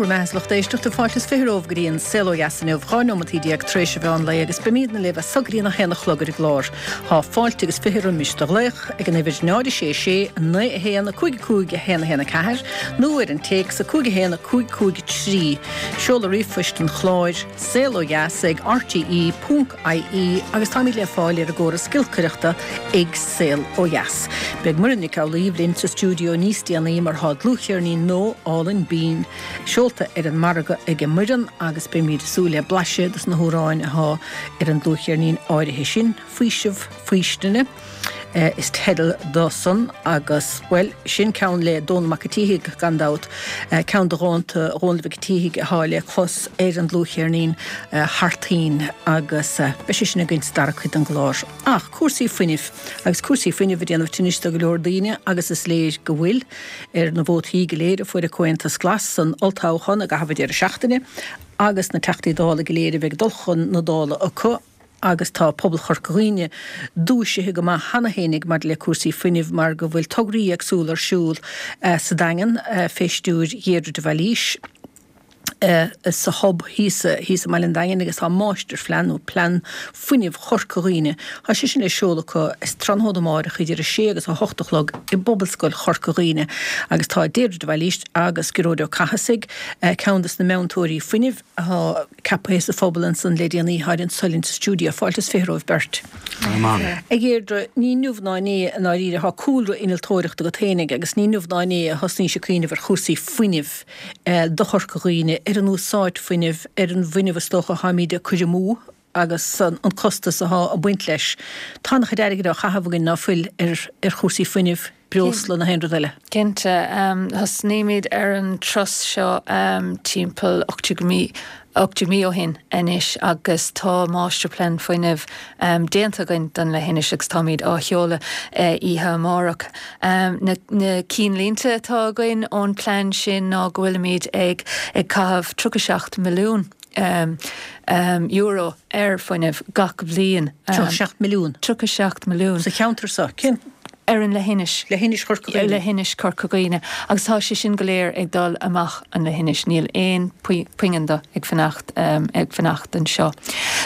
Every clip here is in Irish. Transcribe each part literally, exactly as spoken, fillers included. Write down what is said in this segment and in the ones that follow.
Bhur mbeatha, a lucht éisteachta, fáilte is fiche romhaibh go dtí an Saol Ó Dheas inniu, dhá neomataí déag tar éis an mheán lae agus beimídne libh as so go dtí an a haon a chlog ar an gclár. Tá fáilte agus fiche roimis do ghlaoch ag an uimhir náid a sé sé naoi a haon a cúig a cúig a haon a haon a ceathair nó ar an téacs a cúig a haon a cúig cúig a trí. Seoladh ríomhphoist an chláir, saol ó dheas ag R T E ponc I E agus táimid le fáil ar an gcóras giolcaireachta ag Saol Ó Dheas. Beidh Muireann Nic Amhlaoibh linn sa stiúideo níos déanaí mar tá dlúthcheirnín nua álainn binn seolta ar an margadh ag Muireann agus beimid ag súil le blaiseadh dos na hamhráin atá ar an dlúthcheirnín áirithe sin, Faoiseamh Faoistine is teideal dó san agus, bhuel, sin ceann le Dónall Mac an tSíthigh gan dabht, ceann de dhánta Dhónaill Mhic an tSíthigh atá le clos ar an dlúthcheirnín Thar Toinn agus beidh sé sin againn sa dara cuid den gclár. Ach cúrsaí fuinnimh agus cúrsaí fuinnimh ag déanamh tinnis do go leor daoine agus is léir go bhfuil ar na vótaí go léir a fuair an Comhaontas Glas san olltoghchán i gcaitheamh an deireadh seachtaine agus na Teachtaí Dála go léir a bheidh ag dul chun na Dála acu agus tá pobal Chorca Dhuibhne dúisithe go maith cheana féinig maidir le cúrsaí fuinnimh mar go bhfuil tograí éagsúla ar siúl sa Daingean fé stiúir Dheirdre de Bhailís sa Hub thíos thíos i mBaile an Daingin agus tá máistirphlean nó plean fuinnimh Chorca Dhuibhne. Tá sé sin le seoladh acu is tráthnóna amárach idir a sé agus a hocht a chlog i bPobalscoil Chorca Dhuibhne agus tá Deirdre de Bhailís agus Gearóid Ó Cathasaigh, ceann de na meantóirí fuinnimh atá ceaptha sa phobal ansan le déanaí thar an soilinn sa stiúideo. Fáilte is fiche romhaibh beirt. A Dheirdre, ní inniu ná inné i ndáiríre tá cúlra innealtóireachta agat féinig agus ní inniu ná inné a thosnaís ag cuimhneamh ar chúrsaí fuinnimh do Chorca Dhuibhne, ar an úsáid fuinnimh, ar an bhfuinneamh is dócha atáimid ag cur amú agus an costas atá ag baint leis. Tá an-chuid airgid á chaitheamh againn ná fuil ar ar chúrsaí fuinnimh, breosla na haon rud eile. Cinnte, thosnaímid ar an turas seo timpeall ocht mí ocht mí ó shin anois agus tá máistirphlean fuinnimh déanta againn don leithinis agus táimid á sheoladh oíche amárach. Na na cinnlínte atá againn ón plean sin ná go bhfuilimid ag ag caitheamh tríocha seacht milliún um, um, euro ar fuinneamh gach bliain. Um, seacht milliún. Tríocha seacht milliún. Sa cheantar seo cén ar an leithinis. Leithinis Chorca Dhuibhne. Leithinis Chorca Dhuibhne. Agus tá sé sin go léir ag dul amach an leithinis, níl aon phingin de ag fanacht um, ag fanacht anseo.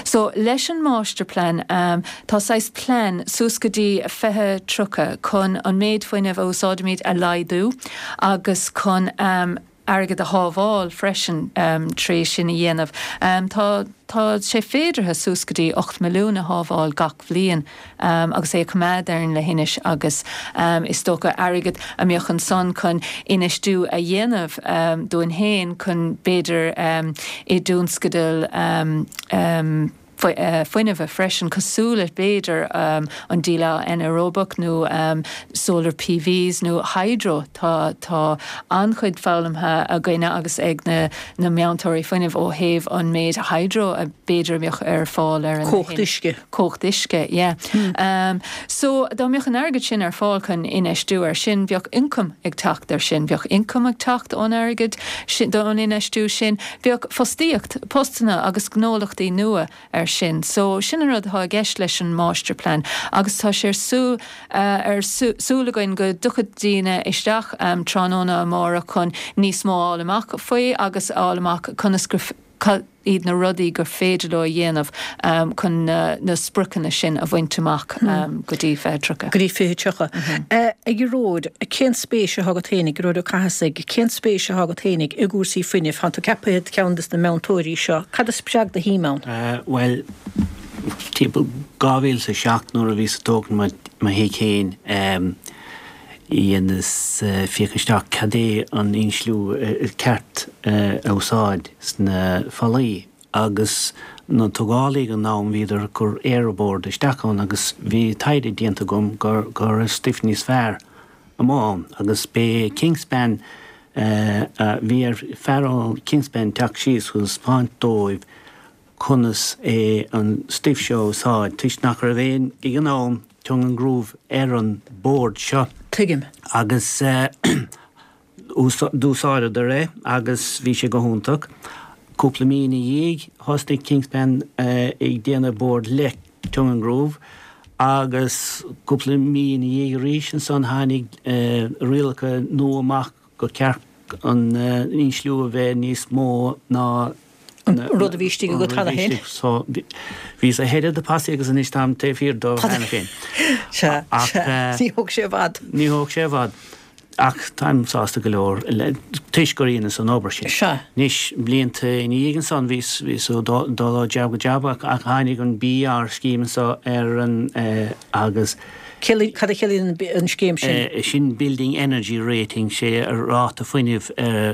So leis an máistirphlean um, tá saghas plean suas go dtí fiche tríocha chun an méid fuinnimh a úsáidimid a laghdú agus chun um, airgead a shábháil freisin um, trí sin a dhéanamh. Um, tá Tá sé féideartha suas go dtí ocht milliún a shábháil gach bliain um, agus é coimeád ar an leithinis agus um, is dócha airgead a mbeadh ansan chun infheistiú a dhéanamh um, dúinn féin chun b'fhéidir um, i dtionscadal um, um, fuinnimh freisin cosúil le b'fhéidir um, an díleá anaeróbach nó um, solar P Vs nó hydro. tá tá an-chuid foghlamtha againne agus ag na na meantóirí fuinnimh ó thaobh an méid hydro a b'fhéidir mbeadh ar fáil ar an Cumhacht uisce. Cumhacht uisce, yeah. Hmm. Um, so dá mbeadh an airgead sin ar fáil chun infheistiú ar sin, bheadh ioncam ag teacht ar sin, bheadh ioncam ag teacht ón airgead don infheistiú sin, bheadh fostaíocht, postanna agus gnólachtaí nua ar sin. So sin an rud atá i gceist leis an máistirphlean agus tá sé súil uh, ar súil againn go dtiocfaidh daoine isteach um, tráthnóna amárach chun níos mó a fháil amach faoi agus fháil amach conas gur iad na rudaí gur féidir leo a dhéanamh um, chun na, na spriocanna sin a bhaint amach um, hmm. go dtí fiche tríocha. Go dtí fiche tríocha. A Ghearóid, cén spéis atá agat féinig, Gearóid Ó Cathasaigh, cén spéis atá agat féinig i gcúrsaí fuinnimh, tá tú ceaptha ceann des na meantóirí seo, Cad a spreag do shuim ann? Uh, well, timpeall dhá mhíle a seacht nuair a bhíos ag tógáil mo thigh féin um, dheineas uh, féach isteach cad é an insliú uh, ceart uh, a úsáid sna fallaí agus na tógálaithe ag an am bhíodar ag cur aeroboard isteach ann agus bhí taighde déanta agam gur gur stuif níos fearr amháin agus b'é Kingspan bhí ar fear ó Kingspan teacht síos chun taispeáint dóibh conas é an stuif seo úsáid toisc nach raibh aon ag an am tongue and groove ar an bord seo. Tuigim. Agus uh, d'úsáideadar é agus bhí sé go hiontach. Cúpla mí ina dhiaidh thosaigh Kingspan uh, ag déanamh bord le tongue and groove agus cúpla mí ina dhiaidh arís ansan tháinig uh, rialacha nua amach go ceart an insliú a bheith níos mó ná an rud a bhí istigh agat cheana féin. So bhíos ahead of the posse agus anois táim taobh thiar dó cheana féin. Sea, sea. Ní thóg sé i bhfad. Ní thóg sé i bhfad. Ach táim sásta go leor toisc gur dheineas an obair sin. Sea. Anois, blianta ina dhiaidh ansan bhíos bhíos ag dul ó jab go jab ach ach tháinig an BER scheme anso ar an agus. Cad a chiallaíonn an scéim sin? Sin Building Energy Rating, sé ráta fuinnimh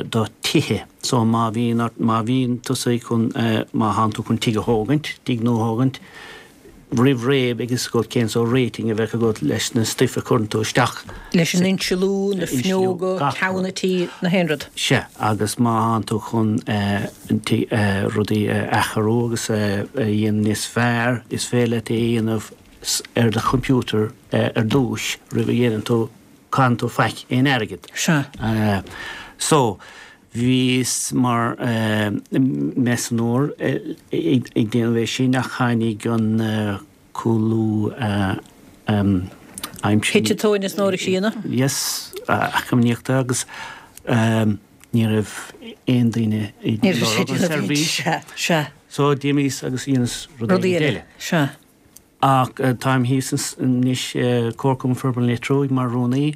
do tithe. So má bhíonn má bhíonn tusa chun má thánn tú chun tigh a thógaint, tigh nua a thógaint, roimh ré beidh fhios agat cén sórt rating a bheadh agat leis na stuif a chuireann tú isteach. Leis an insealú, na fuinneoga, ceann an tí, na haon rud. Sea, agus má thánn tú chun rudaí a athrú agus a dhéanamh níos fearr, is féidir leat é a dhéanamh ar do chomputer ar dtúis roimh a dhéanann tú, caitheann tú faic aon airgead. Sea. So, bhíos mar measúnóir ag déanamh é sin ach tháinig an cúlú aimsire. Thit an tóin as an ór. Yes, eacnamaíochta agus ní raibh aon duine ag lorg an seirbhís. Sea, sea. So d'imíos agus dheineas rud éigin eile. Sea. Ach táim thíos anois i Comharchumann Forbartha an Leitir Thuaidh mar rúnaí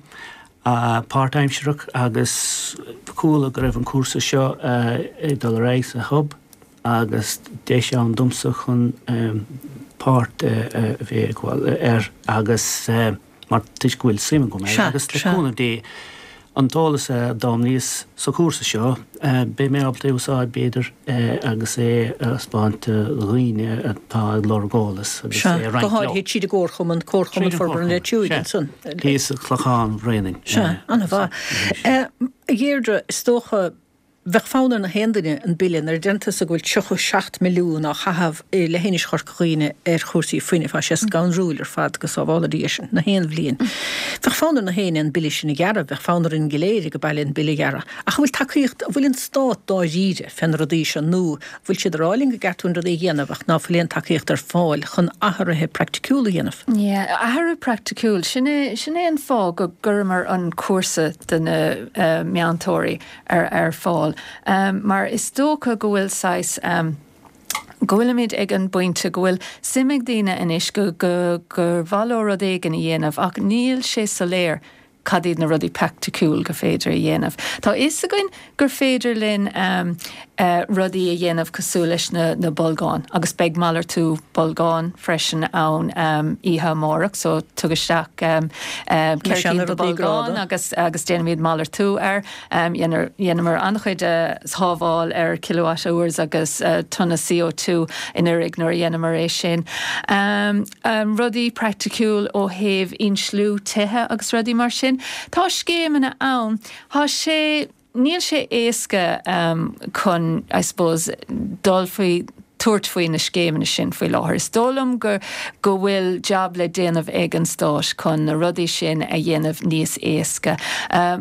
páirtaimsearach agus chuala go raibh an cúrsa seo ag dul ar aghaidh sa Hub agus deis ann domsa chun páirt a bheith ag gabháil air agus mar toisc go bhfuil suim agam air agus le cúnamh Dé an t-eolas a d'fhoghlaimíos sa chúrsa seo, beidh mé ábalta é a úsáid, b'fhéidir, agus é a thaispeáint do dhaoine atá ag lorg eolas agus é a roinnt leo. Sea, go háirithe tríd an gComharchumann, Comharchumann Forbartha an Leitir Thuaidh ansan. Thíos i Clochán Bhréanainn. Sea, an-mhaith. A Dheirdre, is dócha, Bheadh fonn ar na haon duine an bille, nuair a deireann tusa go bhfuil tríocha seacht milliún á chaitheamh i leithinis Chorca Dhuibhne ar chúrsaí fuinnimh, tá sé scanrúil ar fad, go sábhála Dia sinn, na haon bhliain. Bheadh fonn ar na héinne an bille sin a ghearradh, bheadh fonn orainn go léir ag baile an bille a ghearradh. Ach an bhfuil tacaíocht, an bhfuil an Stát dáiríre fé na rudaí seo nó an bhfuil siad ag rá linn go gceart dúinn rudaí a dhéanamh ach ná fuil aon tacaíocht ar fáil chun athruithe praiticiúla a dhéanamh? Yeah, athrú praiticiúil, sin é, sin é an fáth go gcuireamar an cúrsa do na meantóirí ar ar fáil mar is dócha go bhfuil saghas go bhfuilimid ag an bpointe go bhfuil suim ag daoine anois go go gur mhaith leo rud éigin a dhéanamh ach níl sé soiléir cad iad na rudaí praiticiúil gur féidir a dhéanamh. Tá fhios againn gur féidir linn rudaí a dhéanamh cosúil leis na na bolgáin agus beidh malartú bolgán freisin ann oíche amárach so tug isteach ceithre cinn de bolgáin agus agus déanfaimid malartú air. Dheineamar an-chuid sábháil ar kilowatt hours agus tonna C O two anuraidh nuair a dheineamar é sin. Rudaí praiticiúil ó thaobh insliú tithe agus rudaí mar sin. Tá scéimeanna ann. Tá sé, níl sé éasca chun, I suppose, dul faoi, tabhairt faoi na scéimeanna sin faoi láthair. Is dóigh liom go go bhfuil jab le déanamh ag an Stát chun na rudaí sin a dhéanamh níos éasca.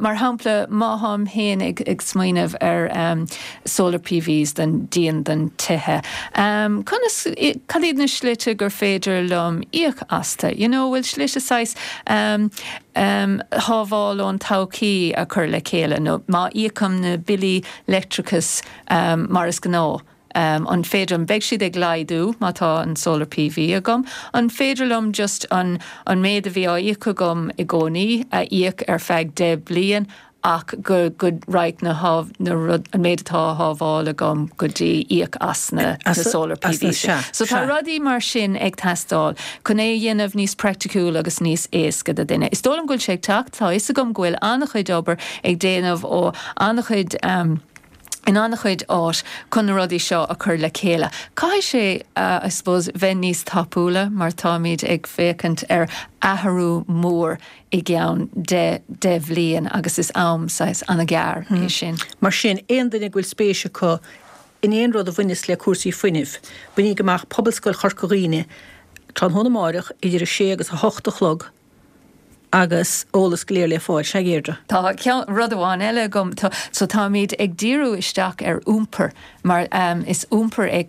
Mar shampla, má tháim féin ag ag smaoineamh ar solar PVs don díon don tithe, conas, cad iad na slite gur féidir liom íoc astu? You know, bhfuil slite saghas shábháil ón todhchaí a chur le chéile nó má íocaim na billí leictreachais mar is gnáth, an féidir liom, beidh siad ag laghdú má tá an solar PV agam, an féidir liom just an an méid a bhí á íoc agam i gcónaí a íoc ar feadh deich bliain ach go go raghaidh na na rud an méid atá á shábháil agam go dtí íoc as na na solar PV. So tá rudaí mar sin ag teastáil chun é a dhéanamh níos praiticiúil agus níos éasca do duine. Is dóigh liom go bhfuil sé ag teacht, tá fhios agam go bhfuil an-chuid obair ag déanamh ó an-chuid in an-chuid áit chun na rudaí seo a chur le chéile. Caithfidh sé, I suppose, bheith níos tapúla mar táimid ag féachaint ar athrú mór i gceann deich deich bhliain agus is am saghas an-ghearr é sin. Mar sin, aon duine go bhfuil spéis acu in aon rud a bhaineas le cúrsaí fuinnimh, bainigí amach Pobalscoil Chorca Dhuibhne tráthnóna amáireach idir a sé agus a hocht a chlog agus eolas go léir le fáil. Sea, a Dheirdre. Tá ceann, rud amháin eile agam, tá, so táimid ag díriú isteach ar iompar mar is iompar é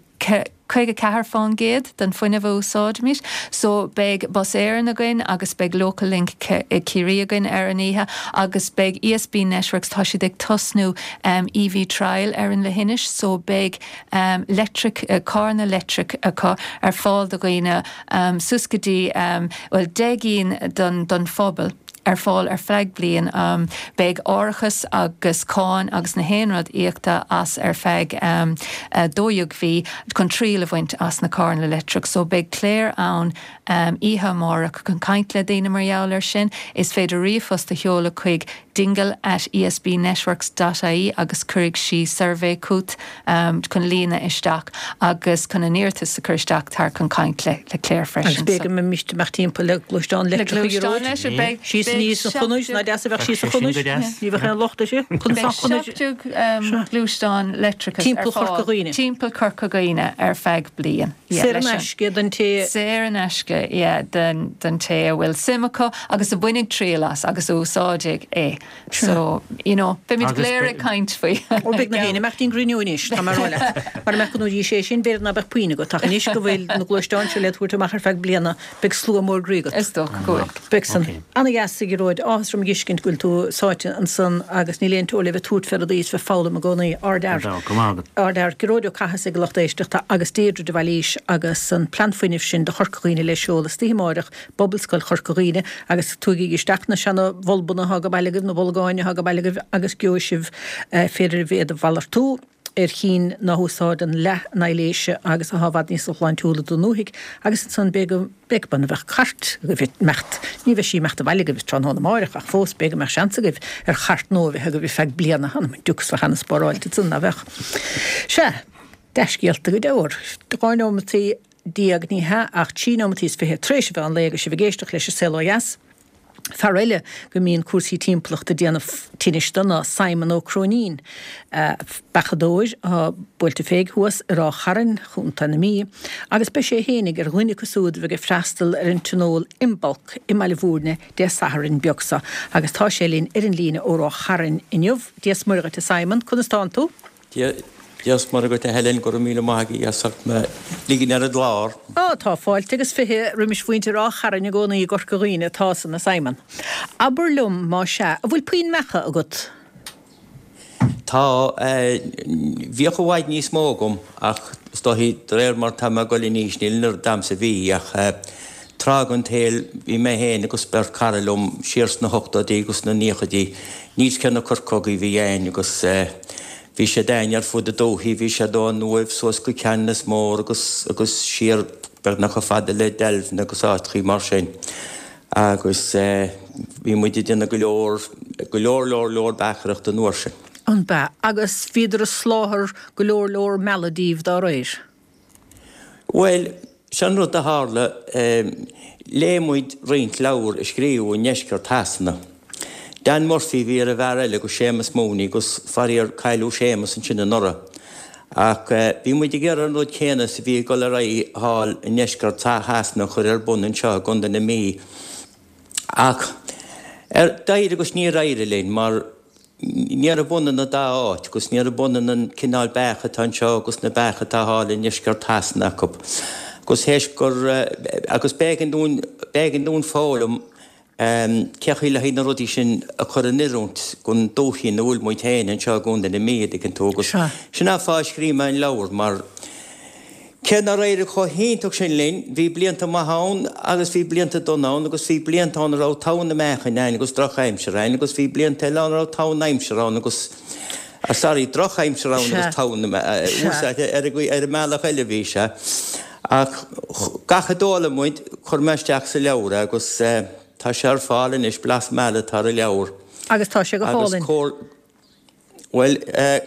caoga ceathair faoin gcéad den fuinneamh a úsáidimid. So beidh Bus Éireann againn agus beidh Local Link Ciarraí againn ar an oíche agus beidh E S B Networks, tá siad ag tosnú um, E V trial ar an leithinis, so beidh um, electric uh, carranna leictreach acu ar fáil do dhaoine um, suas go dtí um, well deich gcinn don, don phobal ar fáil ar feadh bliain. um, beidh árachas agus cáin agus na haon rud íoctha as ar feadh um, uh, dó dhéag mhí chun triail a bhaint as na carranna leictreach. So beidh Claire ann um, oíche amárach chun caint le daoine mar gheall air sin. Is féidir ríomhphost a sheoladh chuig dingle at esbnetworks dot I E agus cuirfidh sí suirbhé chugat um, chun líonadh isteach agus chun an iarratas a chur isteach tar chun caint le le Claire freisin. Agus b'fhéidir go mbeimid amach timpeall le gluaisteán leictreach. Síos níos an chonúis ná deas a bheith síos an chonúis. Ní bheith an lochta si gluaisteán leictreach Timpeall Chorca Dhuibhne. Timpeall Chorca Dhuibhne ar feadh bliain. Saor in aisce don té Saor in aisce den den té a bhfuil suim acu agus a bhainfidh triail as agus úsáidfidh é. So you know, beimid go léir ag caint faoi. Ó beidh na héine meachtín grinúis tá mar le. Mar me go dtí sé sin b'fhéidir ná beadh puinn agat ach anois go bhfuil na gluaisteáin seo le tabhairt amach ar feadh bliana beidh slua mór groí agat. Is dócha go bhfuil. Beidh san ana-dheas a Ghearóid, áthas orm a fheiscint go bhfuil tú sáite ansan agus níl aon teora le bheith tabhairt fé rudaí is bheith foghlaim i gcónaí. Ardfhear. Ardfhear. Gearóid Ó Cathasaigh a lucht éisteachta agus Deirdre de Bhailís agus an plean fuinnimh sin do Chorca Dhuibhne le seoladh istoíche amárach i bPobalscoil Chorca Dhuibhne agus tugaigí isteach na seana bhulbanna atá ag baile agaibh, na bolgáin atá ag baile agaibh agus gheobhaidh sibh féidir iad a mhalartú ar chinn ná húsáideann leath na hailléise agus atá i bhfad níos sláintiúla don ndúthaigh agus ansan b'fhéidir go mbeadh cairt agaibh imeacht, ní bheidh sí imeacht abhaile agaibh tráthnóna amárach ach fós b'fhéidir go mbeadh seans agaibh ar chairt nua a bheith agaibh ar feadh bliana, anam an diúc bheadh ana-spáráilte ansan, ná bheadh? Sea, dea-scéalta go deor. Dhá nóimeataí déag, ní hea ach trí nóimeataí is fiche tar éis a mheán lae agus sibh ag éisteacht leis an Saol Ó Dheas. Fear eile go mbíonn cúrsaí timpeallachta ag déanamh tinnis do ná Simon Ó Cróinín, beachadóir atá buailte féig thuas i Ráth Chairn, Chontae na Mí, agus beidh sé fhéinig ar dhuine acu siúd a bheidh ag freastal ar an tionól Imbolc i mBaile Bhúirne Dé Sathairn beag seo. Agus tá sé linn ar an líne ó Ráth Chairn inniu. Dia is Muire dhuit a Simon, conas tánn tú? Dia is Muire dhuit a Helen, go raibh míle maith agat as ucht mé a ligean ar an gclár. Á, tá fáilte agus fiche roimis mhuintir Ráth Chairn i gcónaí i gCorca Dhuibhne, tá san a Simon. Abair liom, má sea, an bhfuil puinn beacha agat? Tá, bhíodh i bhfad níos mó agam ach is dóichí de réir mar tá mé ag dul in aois níl an oiread a'm is a bhí ach tráth den tsaol bhí mé féin agus beirt cara liom siar sna hochtóidí agus sna naochaidí, níos cionn na corcógaí a bhí a'inn agus bhí siad a'inn ar fud na dúichí, bhí siad ón Uaimh suas go Ceanannas Mór agus agus siar beagnach chomh fada le Deilbhne agus áiteachaí mar sin. Agus bhí muid ag déanamh go leor, go leor leor leor beachaireachta an uair sin. An b'ea? Agus bhíodar ag soláthar go leor leor meala daoibh dá réir? Bhuel, sin rud a tharla, léigh muid roinnt leabhar a scríobhadh i ndeisceart Shasana. Dan Murphy a bhí ar an bhfear eile agus Séamus Mooney agus faraor cailleadh Séamus ansin anuraidh. Ach bhí muid ag iarraidh an rud céanna is a bhí ag dul ar aghaidh thall i ndeisceart Shasana a chur ar bun anseo i gContae na Mí. Ach ar d'éirigh agus níor éirigh linn mar níorbh ionann an dá áit agus níorbh ionann an cineál beach atá anseo agus na beacha atá thall i ndeisceart Shasana acu. Agus théis gur agus b'éigean dúinn b'éigean dúinn foghlaim cé chaoi le haghaidh na rudaí sin a chur in oiriúint don dúiche ina bhfuil muid féin anseo i gContae na Mí, a dtuigeann tú, agus sin an fáth a scríobh mé an leabhar, mar cé nár éirigh chomh hiontach sin linn, bhí blianta maithe ann agus bhí blianta dona ann agus bhí blianta ann a raibh togha na meáchain ann agus drochaimsir ann agus bhí blianta eile ann a raibh togha na aimsire ann agus, sorry, drochaimsir ann agus togha na, úsáid ar an mbealach eile a bhí sé. Ach gach a d'fhoghlaim muid, chuir mé isteach sa leabhar é agus. Tá sé ar fáil anois, Blas Meala atá ar an leabhar. Agus tá sé go Agus hálainn. comhar, bhuel,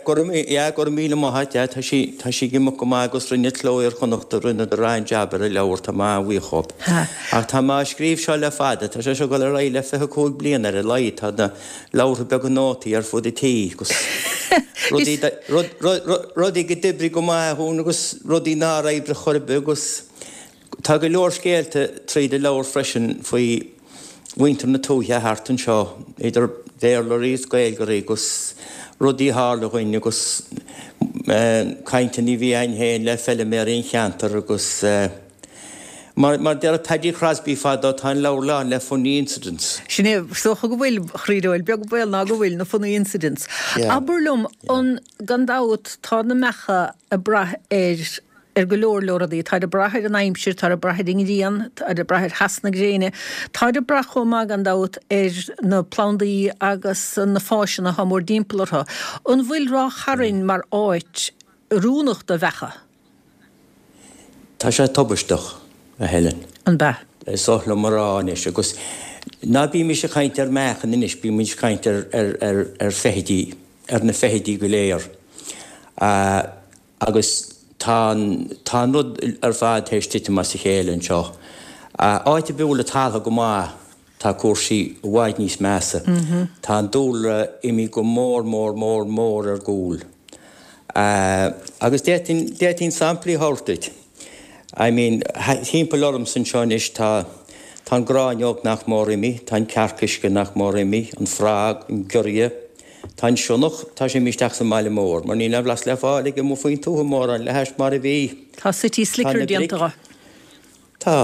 go raibh, yeah, go raibh míle maith a't, yeah, tá sí, tá sí ag imeacht go maith agus rinne Cló Iar-Chonnachta, rinneadar an-jab ar an leabhar, tá mé an-bhuíoch dhóibh. Ha. Ach tá mé á scríobh seo le fada, tá sé seo ag dul ar aghaidh le fiche cúig bliana ar a laghad, tá na leabhartha beaga nótaí ar fud an tí agus rudaí, rud, rud, rud, rudaí go d'oibrigh go maith dhúinn agus rudaí nár oibrigh chor ar bith agus Tá go leor scéalta tríd an leabhar freisin faoi mhuintir na tuaithe thart anseo, idir Bhéarlóirí is Gaeilgeoirí agus rudaí a tharla dhúinn agus Cainteanna a bhí againn féin le feiliméaraí an cheantair agus mar mar deir Paddy Crosby fadó tá an leabhar lán le funny incidents. Sin é, is dócha go bhfuil, a chroí bhuel, beag baol ná go bhfuil na funny incidents. Abair liom, an, gan dabht, tá na meacha ag brath ar ar go leor leor rudaí. Táid ag brath ar an aimsir, táid ag brath ar an ngrian, táid ag brath ar theas na gréine, táid ag brath chomh maith gan dabht ar na plandaí agus na fásanna atá mórdtimpeall orthu. An bhfuil Ráth Chairn mar áit oiriúnach do bheacha? Tá sé tubaisteach, a Helen. An bea? Is oth liom a rá anois, agus ná bímis ag caint ar mheachain anois, bímid ag caint ar, ar, ar, ar feithidí, ar na feithidí go léir. Agus tá an, tá an rud ar fad théis titim as a chéile anseo. Áit ar bith a bhfuil an talamh go maith, tá cúrsaí i bhfad níos measa. Tá an dúlra imithe go mór mór mór mór ar gcúl. Agus d'fhéadfainn, d'fhéadfainn samplaí a thabhairt duit. I mean, thimpeall ormsa anseo anois tá, tá an gráinneog nach mór imithe, tá an cearc uisce nach mór imithe, an frog, an giorria, tá an sionnach, tá sé imithe isteach sa mbaile mór, mar níl aon bhlas le fáil aige amuigh faoin tuath mórán le hais mar a bhí. Tá city Tá slicker na déanta bric. dho. Tá.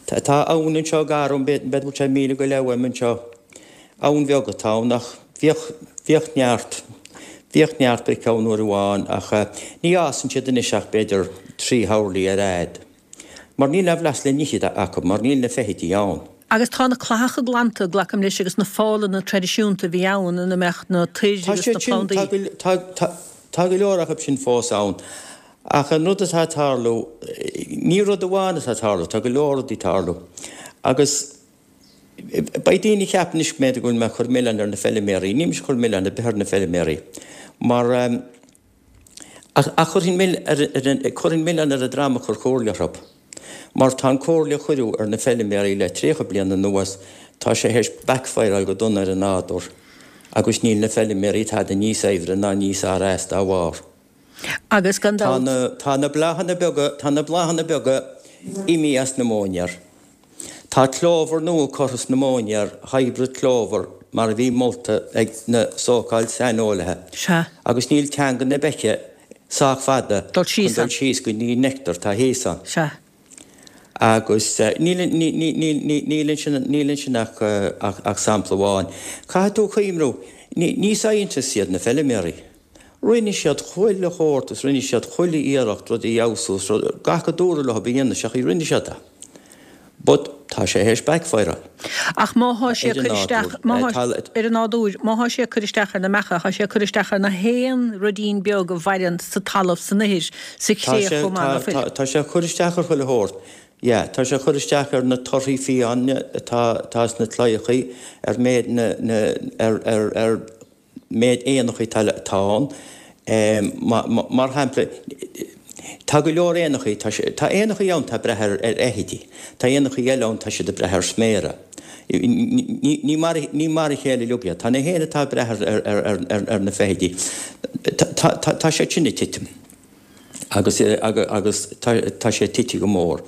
Tá, tá abhainn anseo gar dom, b'fhéidir go bhfuil sé míle go leith uaim anseo. Abhainn bheag atá ann ach bhíodh, bhíodh neart, bhíodh neart bric ann uair amháin ach ní fhásann siad anois ach b'fhéidir trí thurlaí ar fhad. Mar níl aon bhlas le n-ithe acu, mar níl na feithidí ann. Agus tá na clathacha glanta, glacaim leis, agus na fálanna traidisiúnta a bhí ann ina mbeadh na toir Tá agus siad na sin, tá plandaí. go, tá, tá, tá go leor acu sin fós ann. Ach an rud atá ag tarlú, ní rud amháin atá ag tarlú, tá go leor rudaí ag tarlú. Agus beidh daoine ag ceapadh anois go mb'fhéidir go bhfuil mé ag cur milleán ar na feiliméaraí. Níl mise ag cur milleán ar bith ar na feiliméaraí. Mar, ach, ach chuirfinn mil, ar, ar an, chuirfinn milleán ar an dream a chuir comhairle orthu. Mar tá an comhairle a cuireadh ar na feiliméaraí le tríocha bliain anuas, tá sé théis backfireáil go dona ar an nádúr agus níl na feiliméaraí tada níos saibhre ná níos fhearr as dá bharr. Agus gan Tá dabht. na, tá na bláthanna beaga, tá na bláthanna beaga imithe as na móinéir. Tá clover nua curtha sna móinéir, hybrid clover, mar a bhí molta ag na so-called saineolaithe. Sea. Agus níl teanga na beiche sách fada Dul síos chun dul ann. síos go dtí an nectar atá thíos ann. Sea. Agus níl, níl, níl, níl, níl ansin, níl ansin ach, ach, ach sampla amháin. Caithfidh tú cuimhniú, ní, ní scientists iad na feiliméaraí. Rinne siad chuile shórt is rinne siad chuile iarracht rudaí a fheabhsú is rud, gach a dúradh leo a dhéanamh, seachaí rinne siad é. But tá sé théis backfireáil. Ach má thá sé Ar ag an cur isteach, nádúr. má Eh, thá tá, ar an nádúr, má thá sé ag cur isteach ar na meacha, thá sé ag cur isteach ar na haon ruidín beag a mhaireann sa talamh, san ithir, sa Tá chré sé, chomh maith, tá, ná fuil? tá, tá sé ag cur isteach ar chuile shórt. Yeah, tá sé ag cur isteach ar na torthaí fiáine atá, atá sna claíochaí, ar méid na, na, ar, ar, ar méid éanachaí atá, atá ann. Em, ma, ma, mar shampla, tá go leor éanachaí, tá sé, tá éanachaí ann atá ag brath ar, ar fheithidí. Tá éanachaí eile ann tá siad ag brath ar sméara. Ní, ní, ní mar, ní mar a chéile uilig iad. Tá na héin atá ag brath ar, ar, ar, ar, ar na feithidí. Tá, tá, tá, tá sé sin ag titim. Agus, agus, agus tá, tá sé tite go mór.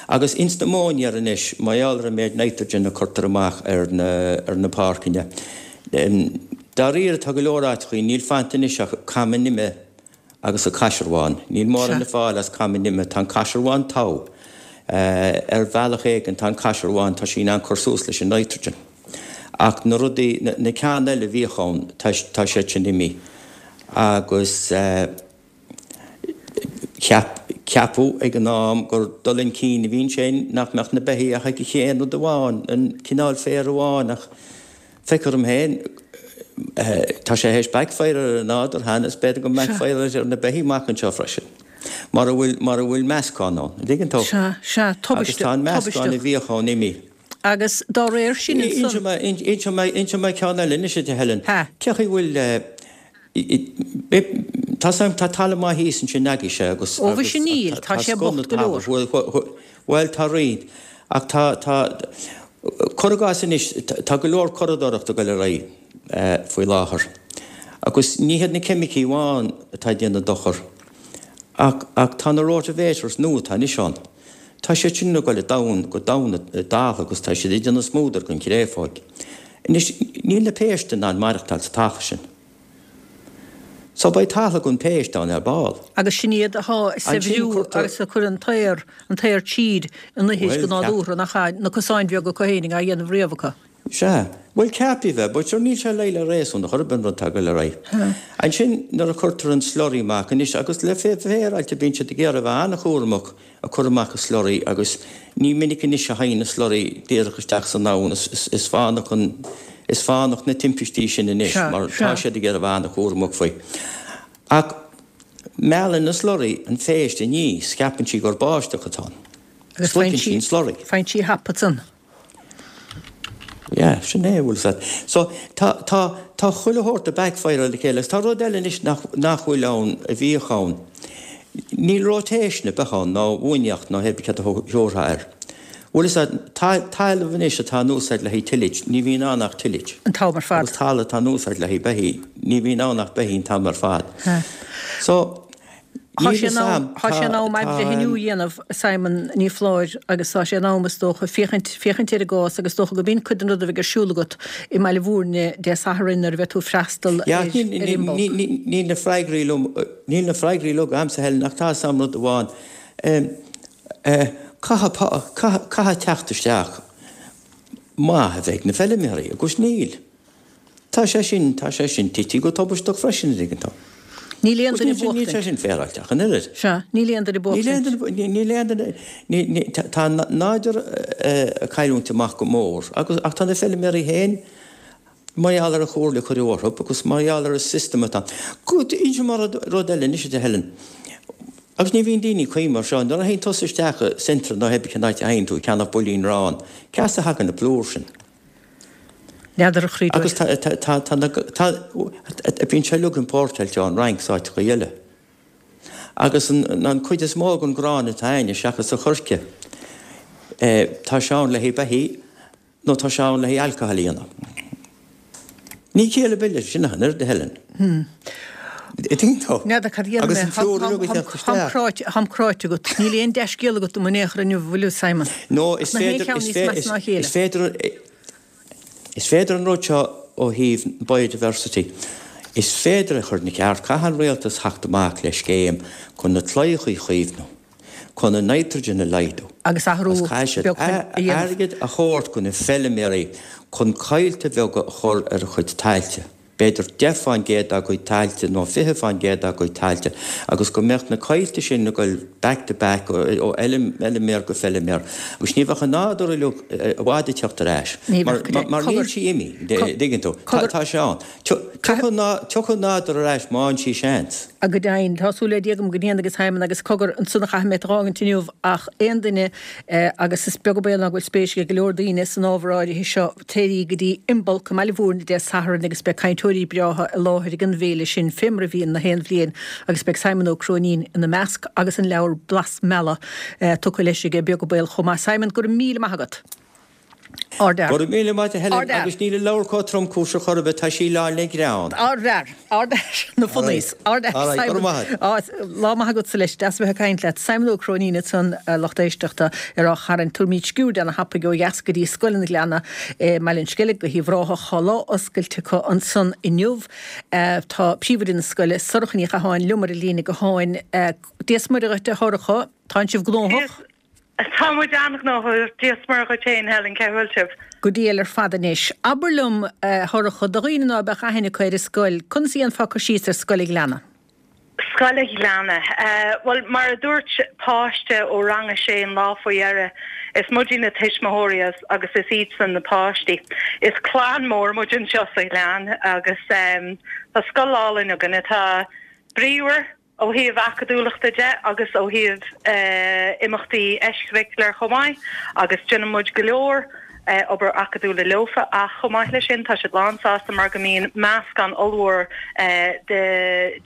Agus ins na móinéir anois, mar gheall ar an méid nitrogen a cuirtear amach ar na, ar na páirceanna. Em, dáiríre tá go leor áiteachaí, níl fanta anois ach cama nimhe agus an caisearbhán. Níl mórán Sea. le fáil as cama nimhe, tá an caisearbhán togha. Eh, ar bhealach éigin tá an caisearbhán, tá sí in ann cur suas leis an nitrogen. Ach na rudaí, na, na ceann eile a bhíodh ann, tá, tá siad sin imithe. Agus, eh, ceap, ceapadh ag an am gur dul chun cinn a bhí ansin nach mbeadh na beithígh ach ag an chéad rud amháin, an cineál féir amháin, ach feictear dom féin, eh, tá sé théis backfire ar an nádúr cheana, is b'fhéidir go Sea. mbackfire ar na beithígh amach anseo freisin. Mar a bhfuil, mar a bhfuil meascán ann, an dtuigeann tú? Sea, sea, Agus tubaisteach, tá an meascán a tubaisteach. bhíodh ann imithe. Agus dá réir sin Inseoidh ansan. mé, inseoidh mé, inseoidh mé ceann eile anois a Helen. Ha. Cé chaoi bhfuil, eh, Tá sam, tá talamh maith thíos ansin agaibhse agus, Ó, agus mhuise níl, tá tá sé scun bocht go talamh. leor. Bhuel, bhuel, bhuel, tá roinnt, ach tá, tá, cuir i gcás anois, tá go leor curadóireachta ag dul ar aghaidh eh, faoi láthair. Agus ní hiad na ceimicí amháin atá ag déanamh dochar, ach, ach tá na rotavators nua atá anois ann. Tá siad sin ag dul i domhan, go domhan i dtalamh agus tá siad ag déanamh smúdar den chréafóig. Anois, níl na péist in ann maireachtáil sa talamh sin. So beidh talamh gan péist ann ar ball. Agus sin iad atá ag saibhriú agus a chuir an t-aer, an t-aer tríd an ithir go nádúrtha, nach ea, na cosáin bheaga acu fhéinig á dhéanamh riamh acu. Sea. Bhuel, ceapaí bheith, but sure níl sé le réasún chor ar bith an rud atá ag goil ar aghaidh. Ansin nuair a chuirtear an slurry amach anois, agus le féaráilte bíonn siad ag iarraidh a bheith an-chúramach ag cur amach an slurry agus ní minic anois a théann an slurry díreach isteach san abhainn, is fánach an, is fánach na timpistí sin anois mar tá siad ag iarraidh a bheith an-chúramach faoi. Ach meallann an slurry an phéist aníos, ceapann sí gur báisteach atá ann. Agus Sroicheann sí an slurry. Faigheann sí thapa ansan. Yeah, sin é, bhfuil 's a'd. So, tá, tá, tá chuile shórt ag backfire le chéile agus tá rud eile anois nach, nach bhfuil ann, a bhíodh ann. Níl rotation ar bith ann, ná uainíocht, ná hé céard a thabharfá air. Bhfuil 'fhios a'd, talamh anois atá in úsáid le haghaidh tillage, ní bhíonn ann ach tillage. An t-am ar fad. Agus talamh atá in úsáid le haghaidh beithí, ní bhíonn ann ach beithí an t-am ar fad. So, Tá sé in am, tá sé in am athbhreithniú a dhéanamh, Simon Ní Phláir, agus tá sé in am, is dócha, féachaint, féachaint ar an gcás agus is dócha go b'in cuid den rud a bheidh ar siúl agat i mBaile Bhúirne Dé Sathairn nuair a bheidh tú ag freastal ar, ar Imbolc. Níl na freagraí liom, níl na freagraí liom agamsa Helen ach tá 'fhios a'm rud amháin. Caithfidh, caithfidh teacht isteach maith a bheith ag na feilméaraí, agus níl. Tá sé sin, tá sé sin tite go tubaisteach freisin, an dtuigeann tú. Níl aon duine Níl bocht sé sin féaráilte ach an oiread. Sea, níl aon duine bocht. Níl aon duine, níl aon duine, ní, tá an nádúr ag cailliúint amach go mór, agus, ach tá na feilméaraí féin, mar gheall ar an chomhairle a cuireadh orthu agus mar gheall ar an system atá ann. Inseoidh mé rud, rud eile anois a Helen. Agus ní bhíonn daoine ag cuimhneamh air seo, nuair a théann tusa isteach i Centra nó hébrí cén áit a théann tú ag ceannach builín aráin, cá as a thagann na plúr sin? N'fheadar a chroí Agus tá, tá, tá, tá na, tá, bíonn sé uilig importáilte ón Fhrainc is áiteachaí eile. Agus an, an cuid is mó den ghrán atá a'inne, seachas an choirce, tá sé ann le haghaidh beithí nó tá sé ann le haghaidh alcohol a dhéanamh. Ní ciall ar bith leis sin ach an oiread, a Helen. Tuigeann tú? N'fheadar cad a dhéanfaidh Agus mé. an plúr uilig ag teacht Táim isteach. cráite, táim cráite agat. Níl aon dea-scéal agat dom in aon chor inniu, an bhfuil, Simon? No, Ach is na haon féidir, cheann is níos fé, measa is, ná a chéile. is féidir, is féidir an rud seo ó thaobh biodiversity, is féidir a chur ina cheart. Caithfidh an rialtas theacht amach le scéim chun na claíochaí a chaomhnú. chun an nitrogen a laghdú. Agus athrú Agus caithfidh siad beag a dhéanamh. airgead a thabhairt do na feilméaraí chun coillte beaga a chur ar a chuid tailte, b'fhéidir deich fán gcéad dá gcuid tailte nó fiche fán gcéad dá gcuid tailte, agus go mbeadh na coillte sin ag goil back to back ó fheilméar go feilméar. Agus ní bheadh an nádúr uilig i bhfad ag teacht ar ais. Ní Mar bheadh, go mar níl Cogar, sí imithe, dtuigeann tú. Tá sé ann. Tiocfaidh an nádúr ar ais má fhaigheann sí seans. A go deimhin, tá súil le Dia agam go ndéanfaidh a Simon agus cogar ansan a chaithfidh mé tú a dh'fhágaint inniu ach aon duine, agus is beag an baol ná go bhfuil spéis ag go leor daoine san ábhar áirithe seo, téirí go dtí Imbolc i mBaile Bhúirne Dé Sathairn agus beidh cainteoirí breátha i láthair ag an bhféile sin fé mar a bhíonn na haon bhliain agus beidh Simon Ó Cróinín ina measc agus an leabhar Blas Meala tugtha leis aige, beag an baol chomh maith. Simon, go raibh míle maith agat. Ardfhear. Go raibh míle maith agat a Helen, Ardfhear. agus níl an leabhar chomh tromchúiseach chor ar bith, tá sí lán le greann. Ardfhear. Ardfhear. Na funnies. Ardfhear. All right, go Simon. raibh maith agat. Á, lá maith agatsa leis, deas a bheith ag caint leat. Simon Ó Cróinín ansan, a lucht éisteachta, ar Áth Chairn. Tabharfaimid sciuird ana-thapaidh ó dheas go dtí Scoil an Ghleanna i mBaile an Sceilg go hUíbh Ráthach. Tá lá oscailte acu ansan inniu. Tá príomhoide na scoile, Sorcha Ní Chatháin, liom ar an líne gutháin. Dia 's Muire dhuit, a Shorcha. Tánn sibh gnóthach? Tá muid an-ghnóthach, Dia 's Muire dhuit féin, Helen, cé bhfuil sibh? Go diail ar fad anois. Abair liom, a Shorcha, do dhaoine ná beadh aithne acu ar an scoil, conas a dhéanfá cur síos ar Scoil an Ghleanna? Scoil an Ghleanna? Bhuel, mar a dúirt páiste ó rang a sé an lá faoi dheireadh, is muide na tuismitheoirí agus is iadsan na páistí. Is clann mór muid anseo sa Ghleann agus tá scoil álainn againn atá bríomhar, ó thaobh acadúlachta de agus ó thaobh imeachtaí eiscurricular chomh maith agus déanann muid go leor obair acadúla leofa ach chomh maith leis sin tá siad lán sásta mar go mbíonn meascán ollmhór de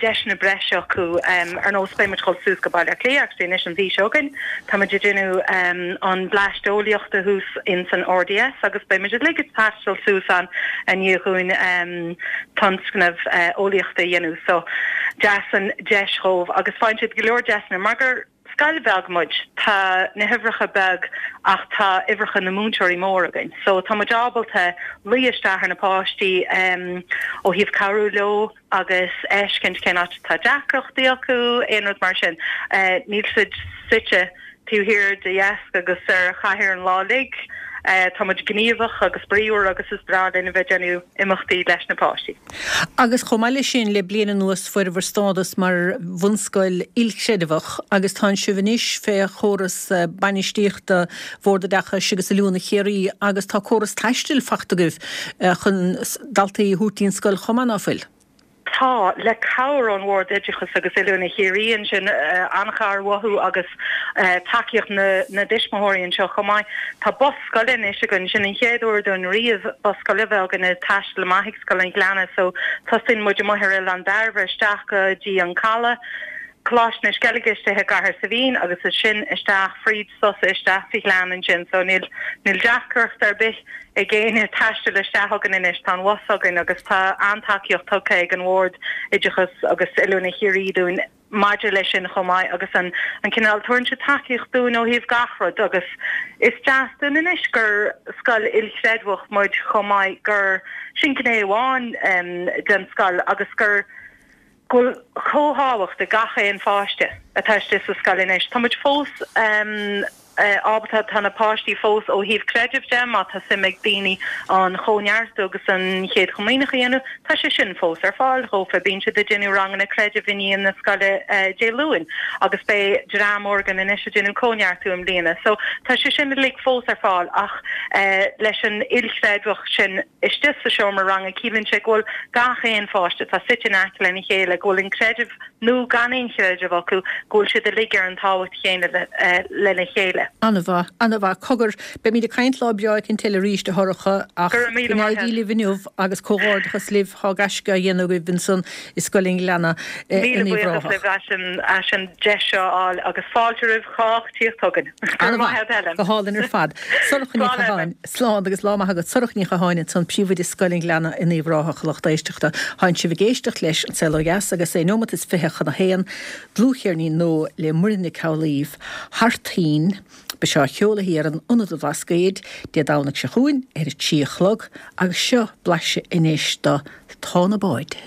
deiseanna breise acu ar nós beidh muid ag dul suas go Baile Átha Cliath actually anois an mhí seo chugainn tá muid ag déanamh an Bleaist Eolaíochta thuas in san RDS agus beidh muid uilig ag taisteal suas ann i ndiaidh dhúinn tionscnamh eolaíochta a dhéanamh so deas an deis dhóibh agus faigheann siad go leor deiseanna mar gur scoil bheag muid tá na huimhreacha beag ach tá uimhreacha na múinteoirí mór againn. So tá muid ábalta luí isteach ar na páistí um, ó thaobh cabhrú leo agus fheiscint cén áit tá deacrachtaí acu aon rud mar sin. Uh, níl siad suite taobh thiar de dheasc agus ar chathaoir an lá uilig. Uh, tá muid gníomhach agus bríomhar agus is breá linn a bheith déanamh imeachtaí leis na páistí. Agus chomh maith leis sin le bliain anuas fuair stádas mar bhunscoil ilchreidmheach agus tá sibh anois fé chóras bainistíochta Bhord Oideachais agus Oiliúna Chiarraí agus tá córas taistil fachta agaibh chun daltaí a thabhairt ón scoil chomh maith ná fuil. Tá le cabhair ón Bhord Oideachais agus Oiliúna Chiarraí ansin uh, an-chabhair uathu agus uh, tacaíocht na, na dtuismitheoirí anseo chomh maith. Tá bus scoile anois againn sin an chéad uair dúinn riamh bus scoile bheith againn ag taisteal amach ag Scoil an Ghleanna, so tosaíonn muid amuigh ar Oileán Dairbhre isteach go dtí an Caladh. Coláiste na Sceilge istigh i gCathair Saibhín agus is sin isteach fríd sosa isteach sa Ghleann ansin, so níl níl deacracht ar bith ag éinne taisteal isteach againn anois tá an bus againn agus tá an-tacaíocht tugtha ag an Bhord Oideachais agus Oiliúna Chiarraí dúinn maidir leis sin chomh maith agus an an cineál tugann siad tacaíocht dúinn ó thaobh gach rud agus is deas dúinn anois gur scoil ilchreidmheach muid chomh maith gur sin gné amháin um, den scoil agus gur go bhfuil chomh tábhacht ag gach aon pháiste atá istigh sa scoil anois. Tá muid fós um, ábalta tá na páistí fós ó thaobh creidimh de má tá suim ag daoine an chóineartú agus an chéad chomaoineach a dhéanamh, tá sé sin fós ar fáil dhófa bíonn siad ag déanamh ranganna creidimh i ndiaidh na scoile uh, Dé Luain agus beidh dream úr againn anois ag déanamh cóineartú i mbliana. So tá sé sin uilig fós ar fáil ach uh, leis an ilchreidmheach sin istigh sa seomra ranga ciallaíonn sé go bhfuil gach aon pháiste tá suite in aice lena chéile go bhfuil an creideamh nó gan aon chreideamh acu go bhfuil siad uilig ar an tábhacht chéanna uh, lena chéile. An-mhaith, an-mhaith cogar beimid ag caint lá breá éicint eile arís a Shorcha ach Go raibh míle go maith n-éirí libh inniu agus comhghairdeachas libh tá gaisce á dhéanamh agaibh ansan i Scoil an Ghleanna Míle in Uíbh buíochas Ráthach. libh as an as an deis seo a fháil agus fáilte roimh chách tíocht chugainn. Go raibh maith agat, Helen. Go hálainn ar fad. Sorcha Ní Slán, Chatháin, slán agus lá maith agat Sorcha Ní Chatháin ansan príomhoide Scoil an Ghleanna in Uíbh Ráthach lucht éisteachta. Tánn sibh ag éisteacht leis an Saol Ó Dheas agus é nóimeat is fiche chun a haon dlúthcheirnín nua le Muireann Nic Amhlaoibh Thar Toinn Beidh sé á cheoladh ar an Ionad an Bhlascaoid Dé Domhnaigh seo chugainn ar a trí a chlog agus seo blaiseadh anois de Tá na Báid.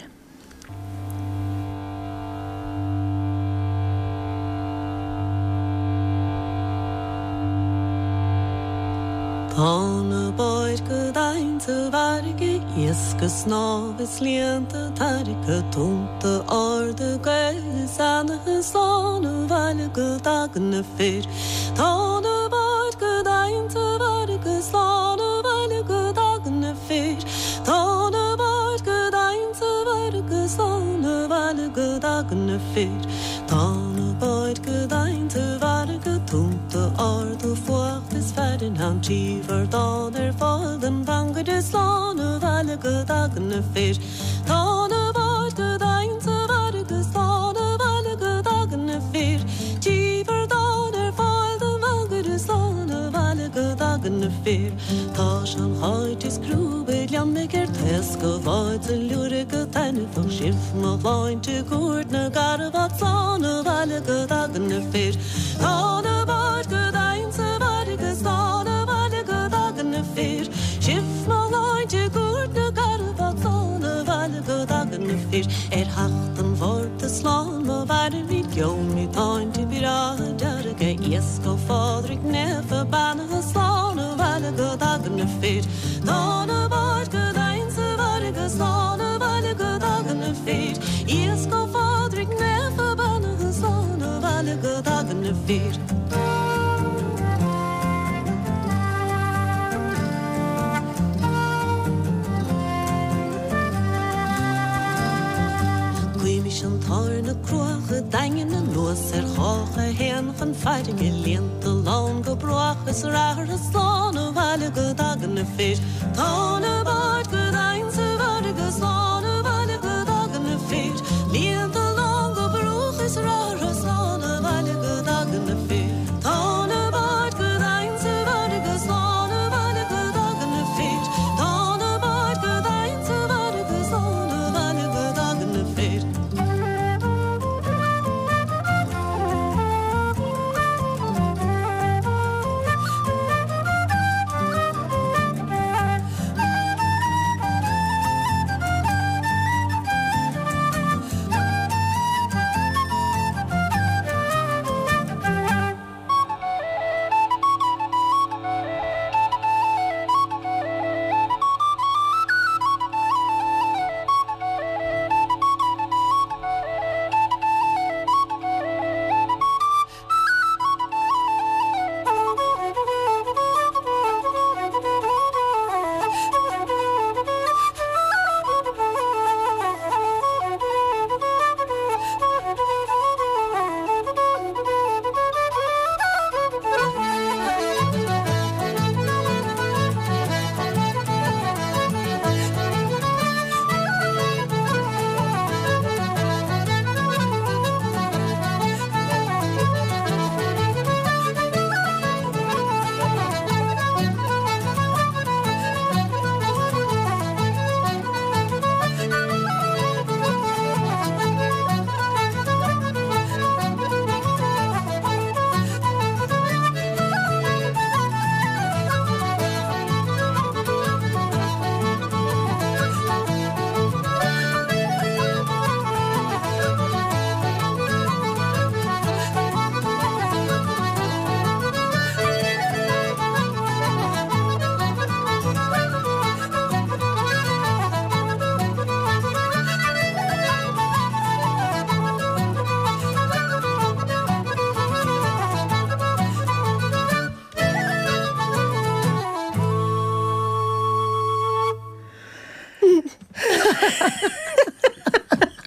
Tá na báid go domhain sa bhfarraige iasc ag snámh is líonta tarraicthe tonnta arda gaoithe is eannaithe slán abhaile go dtagann na fir. Tá na báid go domhain sa bhfarraige slán abhaile go dtagann na fir. Tá na báid go domhain sa bhfarraige slán abhaile go dtagann na fir. Tá na báid go domhain sa bhfarraige tonnta arda fuacht is fearthainn ann trí bhardán ar fáil don mhangaire slán abhaile go dtagann na fir. Tá na báid go domhain sa bhfarraige slán abhaile go dtagann na fir. Trí bhardán ar fáil don mhangaire slán abhaile go dtagann na fir. Tá sean-cháit is crúbaid liom ag ar taoscadh báid sa liúradh go taitneamhach sibh mo shláinte i gCúirt na gCarbhat slán abhaile go dtagann na fir. Tá na báid go domhain sa bhfarraige slán abhaile go dtagann na fir. Sibh mo shláinte i gCúirt na gCarbhat slán abhaile go dtagann na fir. Ar theacht an Mhárta slán má mhairimid gheobhaimid táinte breátha dearga iasc ó Phádraig Naofa beannaithe slán abhaile go dtagann na fir. Tá na báid go domhain sa bhfarraige slán abhaile go dtagann na fir. Iasc ó Phádraig Naofa beannaithe slán abhaile go dtagann na fir. Guímis an t-ádh ar na cruacha daingean anuas ar chách a théann chun farraige líonta lán go bruach is rath orthu slán abhaile go dtagann na fir. Tá na báid go domhain sa bhfarraige slán abhaile go dtagann na fir. Líonta lán go bruach is rath orthu slán abhaile go dtagann na fir. Tá na báid go domhain sa bhfarraige slán abhaile go dtagann na fir. Tá na báid go domhain sa bhfarraige slán abhaile go dtagann na fir.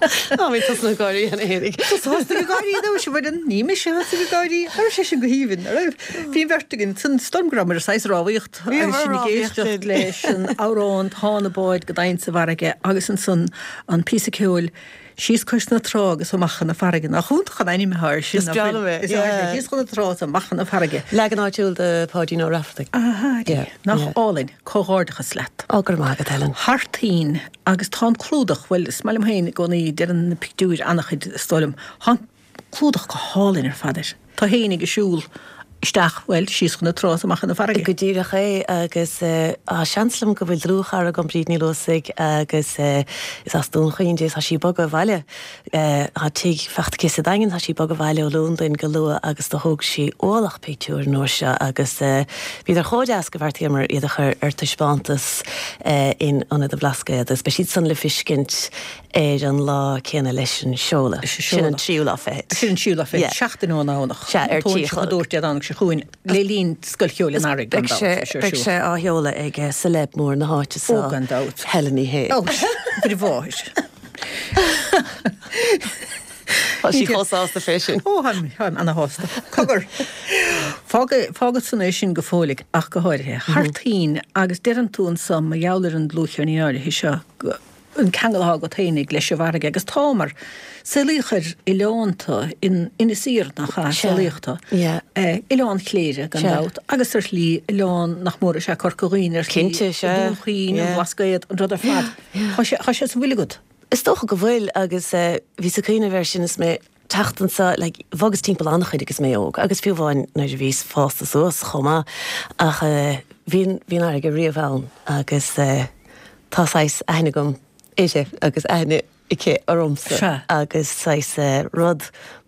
Á bhí tusa ag gáirí cheana fhéinig. Tusa thosaigh ag gáirí nó sé bhfuil ní mise thosaigh ag gáirí Ar sé sin go haoibhinn ar raibh Bhí an bheirt againn san storm go rabhamar ar saghas rámhaíocht agus sinn ag éisteacht leis an amhrán Tá na báid go domhain sa bhfarraige agus ansan an píosa ceoil síos cois na trá agus amach chun na farraige. Nach iontach an ainm atá air sin Is breá liom é, Is yeah. Síos chun na trá is amach chun na farraige. Leagan áitiúil de Pháidín Ó Raifeartaigh. Aha, Yeah, nach yeah. álainn, comhghairdeachas leat. Ó, go raibh maith agat, Helen. Thar toinn agus tá an clúdach, bhuel, is maith liom féin i gcónaí, deireann na pictiúir an-chuid, is dóigh liom. Tá an clúdach go hálainn ar fad air. Tá féin ag siúl isteach, bhuel, síos chun na trá is amach chun na farraige. Go díreach é agus tá seans liom go bhfuil dlúthchara agam Bríd Ní Luasaigh agus is as Dún Chaoin di, tá sí ag bogadh abhaile. Tá tigh faighte aici sa Daingean, tá sí ag bogadh abhaile ó Londain go luath agus do thóg sí ualach pictiúr an uair seo agus bhíodar chomh deas go bheartaíomar iad a chur ar taispeántas in Ionad an Bhlascaoid agus beidh siad san le feiscint ar an lá céanna leis an seoladh. Sin an tríú lá fichead. Sin an tríú lá fichead. Seachtain ón nDomhnach. Sea, ar trí a chlog. Dúirt Dé Domhnaigh seo chugainn le linn Scoil Cheoil an Earraigh, gan Beidh sé, dabht. beidh sé á sheoladh ag celeb mór na háite Ó, seo, gan dabht. Helen Ní Shé. Ó, Muire Mháthair. Tá sí chomh sásta fé sin. Ó, táim, táim ana-shásta. Cogar. Fág, fágfad san é sin go fóilligh ach go háirithe. Thar toinn agus deireann tú anso mar gheall ar an dlúthcheirnín áirithe seo go, an ceangal atá agat fhéinig leis an bhfarraige agus tá mar saolaíodh ar oileánta in Inis Oírr nach ea, saolaíodh tú. Oileán Chléire gan dabht agus ar shlí oileán nach mór is ea Corca Dhuibhne ar shlí, Cinnte, sea. Dún Chaoin, an Blascaod, an rud ar fad. Tá sé, tá sé sa bhfuil agat. Is dócha go bhfuil agus bhíos ag cuimhneamh air sin is mé teacht anso, like, bhogas timpeall an-chuid agus mé óg agus fiú amháin nuair a bhíos fásta suas chomh maith ach bhí an, bhí an fharraige riamh ann agus tá saghas aithne agam uirthi agus aithne aici ormsa Sea. agus saghas rud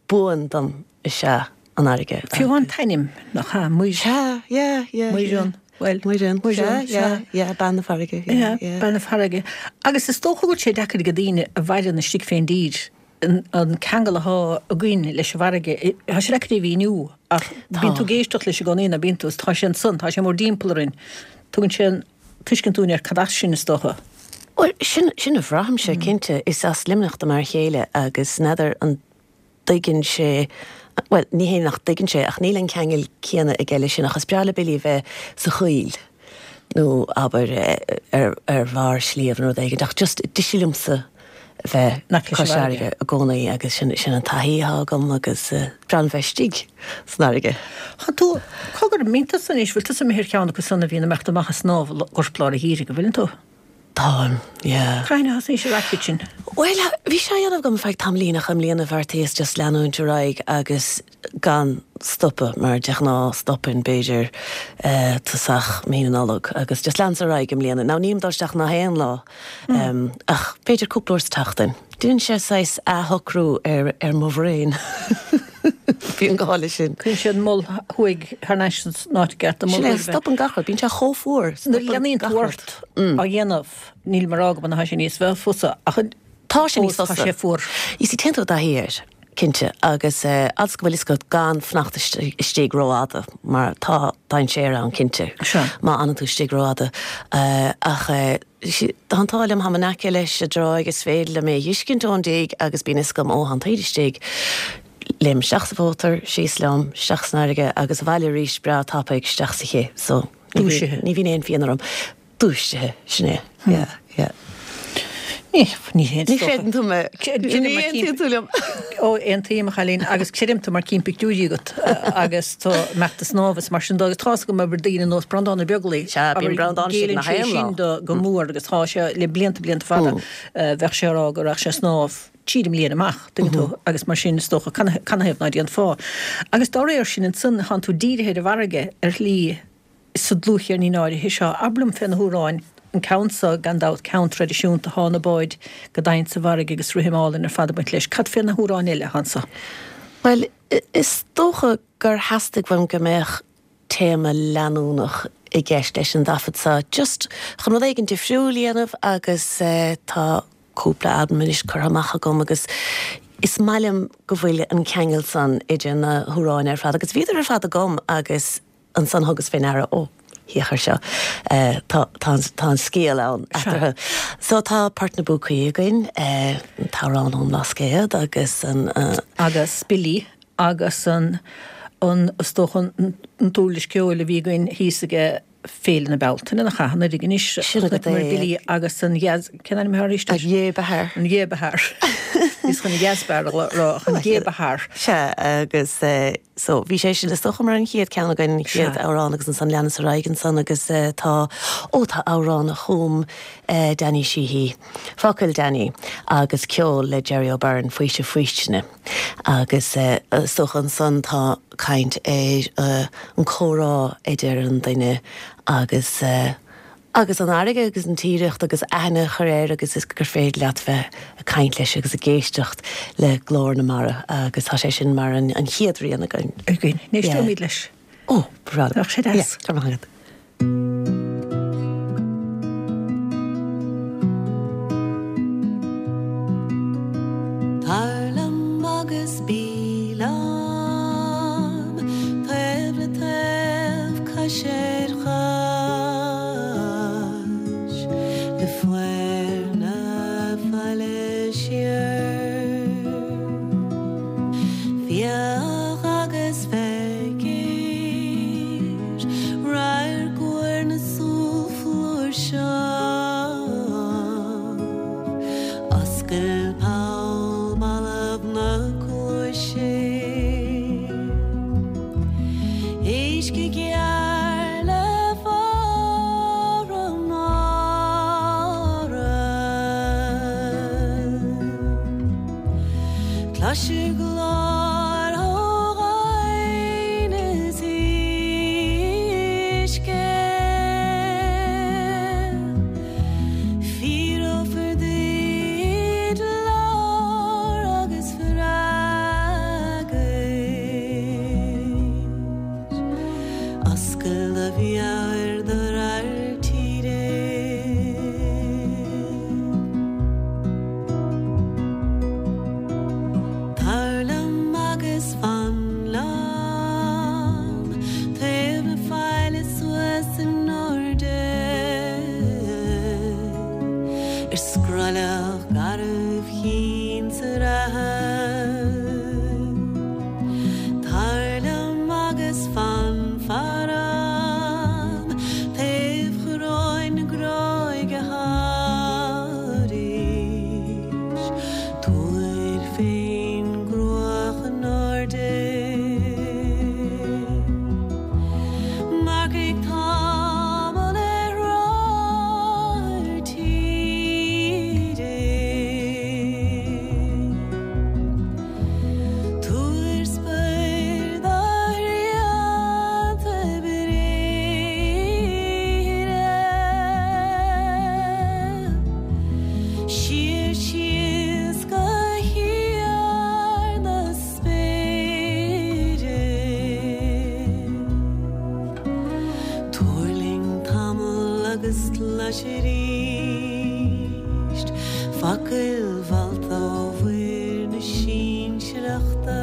buan dom is ea an fharraige. Fiú an t-ainm, nach ea? Muir. Sea, yeah, yeah. Muireann, bhuel. Muireann, Muireann, sea, yeah, yeah, bean na farraige, yeah, Yeah, yeah. bean na farraige. Agus is dócha go bhfuil sé deacair ag daoine a mhaireann istigh fén dtír an an ceangal atá againn leis an bhfarraige, tá sé deacair a mhíniú ach bíonn tú ag éisteacht leis i gcónaí nó bíonn tú, tá sé ansan, tá sé mórdtimpeall orainn. Tugann sé an tuiscint dúinn ar cad as sinn is dócha. Bhuel, sin, sin a bhraithimse, cinnte. Is as Luimneach do m'fhear chéile agus n'fheadar an dtuigeann sé, bhuel, ní hé nach dtuigeann sé, ach níl an ceangal céanna aige leis sin, ach is breá le Billy bheith sa choill nó abair ar, ar bharr sliabh nó rud éigin, ach just deise liomsa bheith Nach leis an cois bhfarraige. fharraige i gcónaí agus sin, sin an taithí atá agam agus breá liom bheith istigh san fharraige. Tá tú, cogar, mbíonn tusa anois, bhfuil tusa imithe ar cheann acu san a bhíonn ag imeacht amach ag snámh i lár an gheimhridh, an bhfuileann tú? Táim, yeah. Cathain a thosnaís ar racket sin? Bhuel, bhí sé á dhéanamh agam feadh tamaillín ach i mbliana bheartaíos just leanúint ar aghaidh agus gan stopadh mar de ghnáth stopaim b'fhéidir tosach mí na Nollag agus just leanas ar aghaidh i mbliana. Now nílim ag dul isteach nach aon lá ach b'fhéidir cúpla uair sa tseachtain. Déanann sé saghas athshocrú ar ar mo bhrain. Bíonn gá leis sin. Cuireann sé an mol thuaidh thar n-ais san áit i gceart, an mol Sin é, roimhe. stopann gach rud, bíonn sé chomh fuar, Nuair a stopann leanaíonn gach tú rud. ort á dhéanamh, níl mé ag rá go mbeidh sé níos fusa, ach Tá sé níos fós tá fusa. sé fuar. You see, téann tú i dtaithí air, cinnte, agus fhad is go bhfuil fhios agat gan fanacht istigh rófhada, mar tá dainséar ann, cinnte, Sea. má fhanann tú istigh rófhada. Ach tá an t-ádh liom, táim in aice leis an dtráigh, is féidir liom é a fheiscint ón dtigh agus bíonn fhios agam, ó, tá an taoide istigh, léim isteach sa mhótar, síos liom, isteach san fharraige agus abhaile arís breá tapaidh isteach sa chith. So, ní bhíonn, Dúisithe. ní bhíonn aon phian orm. Dúisithe, sin é. Yeah, yeah. Ní, ní haon Ní chreideann tú mé. Ní Ní aontaíonn tú liom. Ó, aontaím, a chailín, agus creidim tú mar cím pictiúirí agat agus tú ag imeacht ag snámh is mar sin de agus tá's agam abair daoine nós Breandán Ó Beaglaoi. Sea, bíonn Breandán istigh Géilleann nach sé aon lá. sin do go mór agus tá sé le blianta blianta fada bheadh sé ag rá go raghadh sé ag snámh trí i mbliana amach, tuigeann tú, agus mar sin is dócha canathaobh ná déanfá. Agus dá réir sin ansan tánn tú dírithe ar an bhfarraige ar shlí sa dlúthcheirnín áirithe seo. Abair liom fé na hamhráin, an ceann seo gan dabht, ceann traidisiúnta, Thá na báid go domhain sa bhfarraige agus rithim álainn ar fad ag baint leis. Cad fé na hamhráin eile atá anso? Bhuel, is dócha gur theastaigh uaim go mbeadh téama leanúnach i gceist leis an dtaifead seo, just chun rud éigin difriúil a dhéanamh agus tá cúpla albam anois curtha amach agam agus is maith liom go bhfuil an ceangal san idir na hamhráin ar fad agus bhíodar ar fad agam agus ansan thugas fé ndeara, ó, Féach air seo. Uh, tá tá tá an scéal ann eatarthu. So tá Port na bPúcaí againn, uh, an t-amhrán ón mBlascaod agus an uh, agus Billy agus an an is dócha an an t-uirlis ceoil a bhí againn thíos ag Féile na Bealtaine na chathanna anois Sin agat é. Billy agus an jazz cén ainm arís a Jébehar. an Jébehar. Is chun jazzbar rá an Jébehar. Se agus uh, so bhí sé sin is dócha mar an chéad ceann againn chéad Sea. amhrán agus ansan leanas ar aghaidh ansan agus uh, tá ó tá amhrán a chum uh, Danny Sheehy. Focail Danny agus ceol le Jerry O'Byrne Faoiseamh Faoistine. Agus uh, is dócha ansan tá caint ar uh, an comhrá idir an duine agus uh, agus an fharraige agus an tírdhreach agus aithne chur air agus is gur féidir leat bheith ag caint leis agus ag éisteacht le glór na mara agus tá sé sin mar an, an chéad rian againn. Againn, Éisteoimid leis. Ó, bra. Nach sé deas. Tá maith agat. Tar liom agus bí liom, taobh le taobh cois ar chois, le fuar na faille siar. Féach agus feicir, radharc úr na súl flúirseach, Oscail poll balbh na cluaise. Uisce gearr le fara mara. Cloisear glór ó ghoin is uisce. Fíorófar duit lár agus freagairt. Oscail do mheabhair do radharc tíre. Tar liom agus fan liom, taobh na faille suas in airde. Ar scrollach garbh chinn sa reatha. Tar liom agus fan faram, taobh choróin na gráige thairis. Tabhair féin gruach in airde. Marcaigh tamall ar rothar tíre. Tabhair spéir do shrianta bréithre. Siar síos go híor na spéire. Tuirling tamall agus clois arís, focail mhallta ó mhuir na sinsearachta.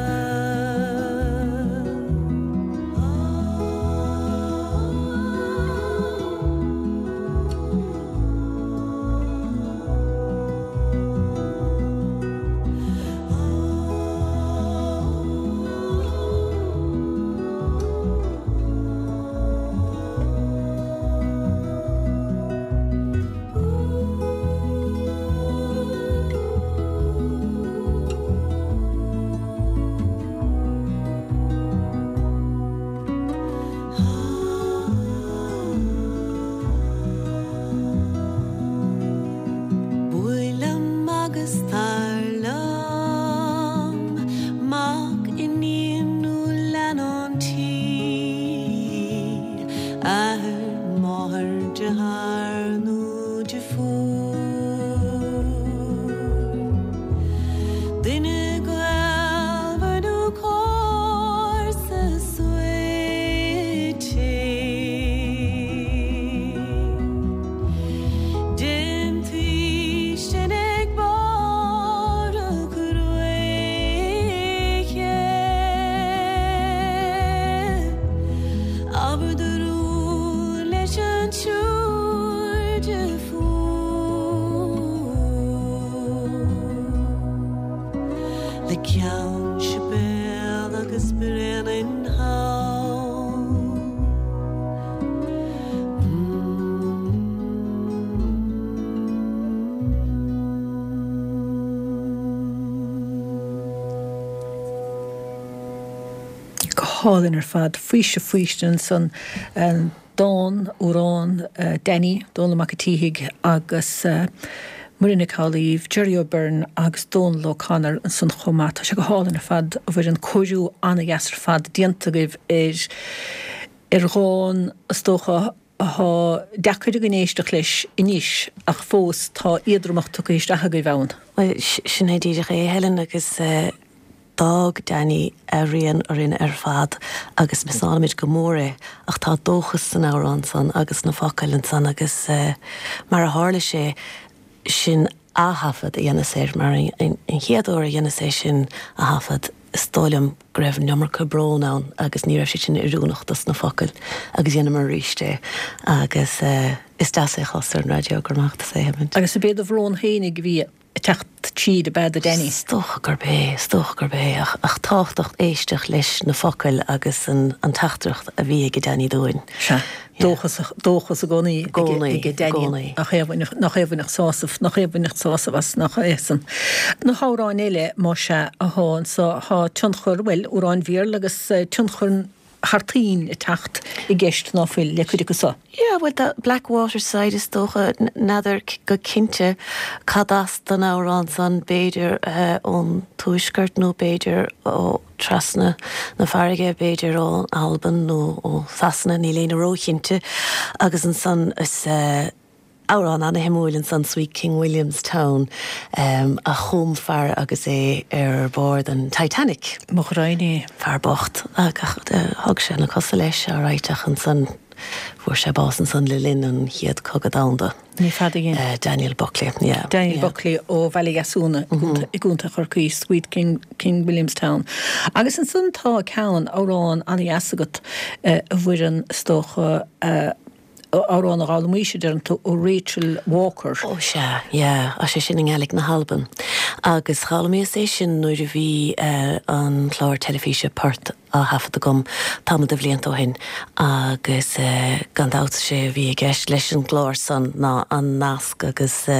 The Ceann Sibéal agus Bréanainn Thall. Go hálainn ar fad, faoiseamh faoistin ansan. Dán, amhrán, Danny, Dónall Mac a' tSíthigh agus Muireann Nic Amhlaoibh, Gerry O'Beirne agus Dónal O'Connor ansan chomh maith. Tá sé go hálainn ar fad, a Mhuireann, cóiriú an-dheas ar fad déanta agaibh ar ar dhán, is dócha, athá deacair againn éisteacht leis anois ach fós tá éadromacht tugtha isteach agaibh ann. Bhuel, sin é díreach é, Helen, agus d'fhág Danny a rian orainn ar fad agus miseálaimid go mór é ach tá dóchas san amhrán san agus sna focail ansan agus mar a tharla sé sin ath-thaifead a dheineas air mar an chéad uair a dheineas é sin a thaifead is dóigh liom go raibh an iomarca brón ann agus ní raibh sé sin oiriúnach dos na focail agus dheineamar arís é agus is deas é a chlos ar an raidió, go raibh maith agat as é a sheimint. Agus ab é do bhrón fhéinig a bhí ag teacht tríd, ab ea, do Danny? Is dócha gurb é, is dócha gurb é, ach, ach tábhachtach éisteacht leis na focail agus an, an teachtaireacht a bhí ag Danny dúinn. Sea, dóchas, dóchas i gcónaí ag Danny, nach é a bhainfeadh, nach é a bhainfeadh sásamh, nach é a bhainfeadh sásamh as, nach é san. Na hamhráin eile, más ea, athá anso, thá tionchar, bhuel, amhráin Bhéarla agus tionchar thar toinn ag teacht i gceist ná fuil le cuid acu so. Yeah, bhuel tá Blackwaterside is dócha, n'fheadar go cinnte cad as don amhrán san, b'fhéidir ón tuaisceart nó b'fhéidir ó trasna na farraige, b'fhéidir ón Albain nó ó Sasana, níl éinne róchinnte. Agus ansan is. Amhrán ana-shuimiúil ansan, Sweet King William's Town, a chum fear agus é ar bord an Titanic. Mo ghraidhin é. Fear bocht. Ach thug sé na cosa leis, alright, ach ansan fuair sé bás ansan le linn an Chéad Cogadh Domhanda. Ní fada a dhein. Daniel Buckley, yeah. Daniel Buckley ó Bhaile Dheasúna i gContae Chorcaí, Sweet King, King William's Town. Agus ansan tá ceann, amhrán ana-dheas agat, a Mhuireann, is dócha, Amhrán a d'fhoghlaimís, a deireann tú, ó Rachel Walker. Ó sea, yeah, sé sin i nGaelic na hAlban. Agus d'fhoghlaimíos é sin nuair a bhí an clár teilifíse Port á thaifead agam tamall de bhlianta ó shin agus gan dabht sé a bhí i gceist leis an gclár san ná an nasc agus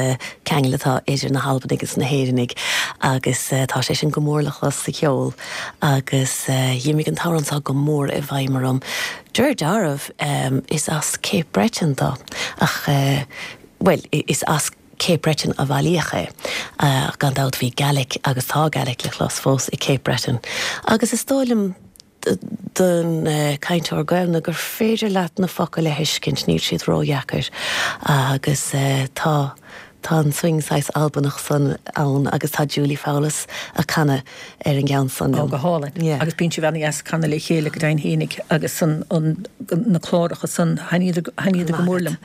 ceangal atá idir na hAlbanaigh agus na hÉireannaigh agus tá sé sin go mór le clos sa cheol agus d'imigh an t-amhrán seo go mór i bhfeidhm orm. Deir dealramh, is as Cape Breton dó, ach, bhuel, is as Cape Breton a bailíodh é, ach gan dabht bhí Gaelic agus tá Gaelic le clos fós i Cape Breton. Agus is dóigh liom don cainteoir Gaelainne gur féidir leat na focail a thuiscint, níl siad ródheacair agus tá Tá an swing saghas Albanach san ann agus tá Julie Fowlis a' canadh ar an gceann san liom. Ó, go hálainn. Yeah. Agus bíonn sibh ana-dheas ag canadh le chéile go deimhin fhéinig agus an, an, na cláracha san, thaitníodar, thaitníodar go mór liom.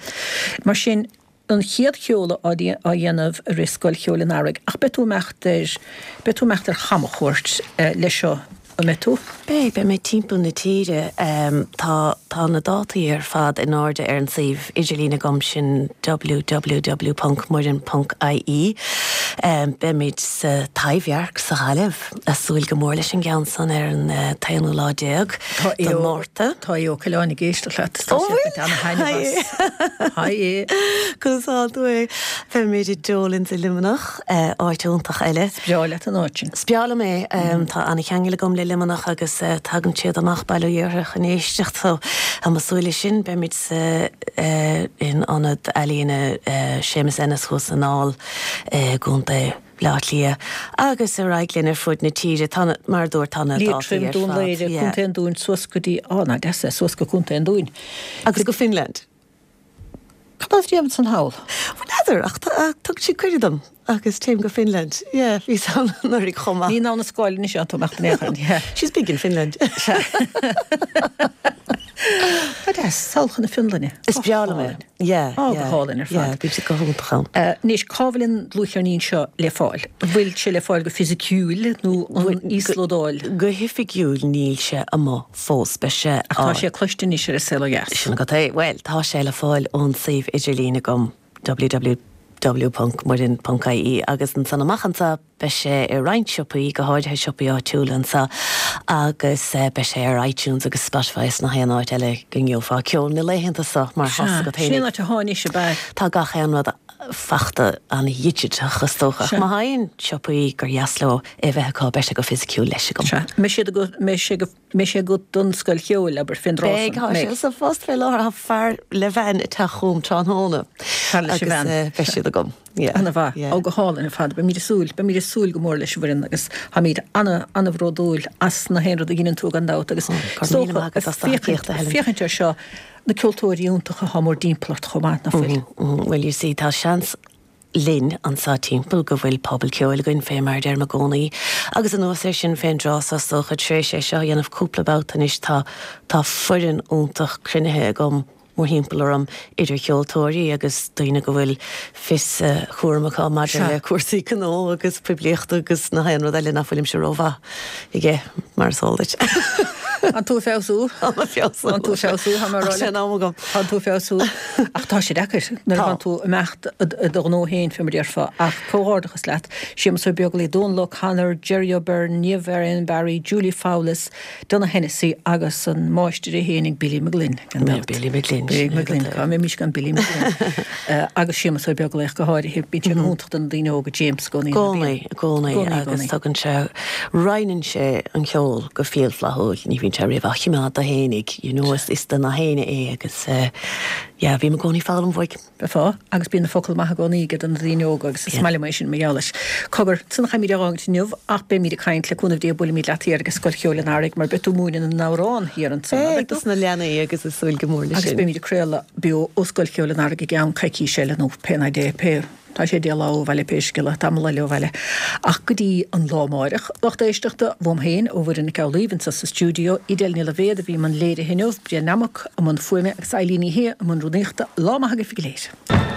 Mar sin, an chéad sheoladh á, á dhéanamh i rith Scoil Cheoil an Earraigh, ach beidh tú imeacht ar, beidh tú imeacht ar chamchuairt leis seo. An mbeidh tú? Beidh, beidh mé timpeall na tíre. Tá, tá na dátaí ar fad in airde ar an suíomh idirlín agam, sin www ponc muireann ponc ie. Beimid sa Taibhdhearc sa Ghaillimh, a' súil go mór leis an gceann san ar an t-aonú lá déag de Mhárta. Tá Aodh Ó Coileáin ag éisteacht leat, tá sé ag baint ana-thaitneamh as. Haigh Aodh. Conas atá tú a Aodh? Beimid i Dolan's i Luimneach, áit iontach eile. Is breá leat an áit sin. Is breá liom é. Tá an-cheangal agam le Luimneach agus tagann siad amach Baile Uí Iartha chun éisteacht so tá mé ag súil leis sin. Beimid sa in Ionad Ealaíne Séamus Ennis thuas san Fheá i gContae Bhaile Átha Cliath agus ar aghaidh linn ar fud na tíre. Tá na, mar a dúirt, tá na dátaí Liatroim, ar Dún fad. Laoghaire, Yeah. Contae an Dúin suas go dtí, á, ná deas é, suas go Contae an Dúin. Agus go Finland. Cad as déanamh san thall? Bhuel, n'fheadar, ach thug siad cuireadh dom agus téim go Finland. Yeah, bhíos ann anuraidh chomh maith. Ní in ann a scáil anois atá tú amach den aon chor, yeah. She's big in Finland. Tá deas, sall chun na Fionlainne. Is breá liom é. Yeah, Á, go yeah. hálainn ar fad. Yeah, bíonn siad go hiontach ann. Anois, cá bhfuil an dlúthcheirnín seo le fáil? An bhfuil sé le fáil go fisiciúil nó an íoslódáil? Go hoifigiúil níl sé amuigh fós. Beidh sé Ach tá sé cloiste anois ar An Saol Ó Dheas. Sin agat é. Bhuel, tá sé le fáil ón suíomh idirlín agam, www w ponc muireann ponc ie agus ansan amach anseo beidh sé i roinnt siopaí, go háirithe siopaí áitiúla anseo agus beidh sé ar iTunes agus Spotify is nach aon áit eile go ngeofá ceol na laethanta seo mar Sea, thosaigh sin an áit a tháinig sé, ab ea? Tá gach aon rud fachta an-dhigiteach is dócha. Ach Sea. má thagann siopaí gur dheas leo é bheith acu beidh sé go fisiciúil leis agam. Sea. Mbeidh siad agat, mbeidh sé go, mbeidh sé agat don scoil cheoil, abair, fén dtráth Beidh, san, tá sé mbeidh. sa phost fé láthair, tá fear le bhean ag teacht chugam tráthnóna Fear leis an agus bhean. beidh siad agam. Yeah, Ana-mhaith. yeah. Ó, go hálainn ar fad. Beimid ag súil, beimid ag súil go mór leis, a Mhuireann, agus táimid ana, ana-bhródúil as na haon rud a dheineann tú gan dabht agus Ó, go is raibh míle dócha, maith agat as do féachaint, thacaíocht, a Helen. féachaint air seo, na ceoltóirí iontacha atá mór dtimpeall ort chomh maith, nach bhfuil? Mm, Well, you see, tá seans linn anseo timpeall go bhfuil pobal ceoil againn fé mar a deirim i gcónaí. Agus anuas air sin fén dtráth so is dócha tar éis é seo a dhéanamh cúpla babhta anois tá tá foireann iontach cruinnithe agam mórthimpeall orm idir cheoltóirí agus daoine go bhfuil fios cúram acu maidir Sea. le cúrsaí gnó agus poiblíochta agus na haon rud eile nach bhfuilimse rómhaith aige mar is eol duit. An tú feabhsú? Tá mé feabhsú. An tú feabhsú, tá mé ag rá Ach sé leat. an am agam. Tá tú feabhsú. Ach tá sé deacair nuair a Tá. bhíonn tú ag imeacht i do ghnó féin fé mar a déarfá ach comhghairdeachas leat. Séamus Ó Beaglaoich, Dónal O'Connor, Jerry O'Byrne, Niamh Erin Barry, Julie Fowlis, Donogh Hennessy agus an máistir é féin ag Billy McGlynn gan Yeah, dabht. Billy McGlynn, Billy sin é McGlynn, go cá mbeimís gan Billy McGlynn. Eh, agus Séamus Ó Beaglaoich go háirithe, bíonn sé go hiontach do na daoine óga James i gcónaí. Gcónaí, i gcónaí, Gcónaí, agus gcónaí. tugann sé roinneann sé an ceol go fial flaithiúil, ní bhíonn sé riamh á choimeád dó fhéinig, you know, is is do na héinne é agus eh, yeah, bím i gcónaí ag foghlaim uaidh. Befá, agus bíonn na focail maithe i gcónaí aige do na daoine óga agus is Yeah. maith liom é sin mar gheall leis. Cogar, san chaimid ar áint inniu ach beimid ag caint le cúnamh Dé buailfimid leat thiar ag Scoil Cheoil an Earraigh mar beidh tú ag múineadh na n-amhrán thiar ansan. Beidh dos na leanaí agus ag súil go mór leis Agus sin. beimid ag craoladh beo ó Scoil Cheoil an Earraigh i gceann coicís eile nó pé ná dé pé Tá sé deich lá ó bhaile pé scéal é, tamall eile ó bhaile. Ach go dtí an lá amárach, lucht éisteachta uaim féin ó Mhuireann Nic Amhlaoibh anseo sa stiúideo, Edel Ní Loibhéad a bhí i mbun léirithe inniu, Brian Nammock i mbun fuaime agus Eileen Ní Shé i mbun rúnaíochta, lá maith agaibh go léir.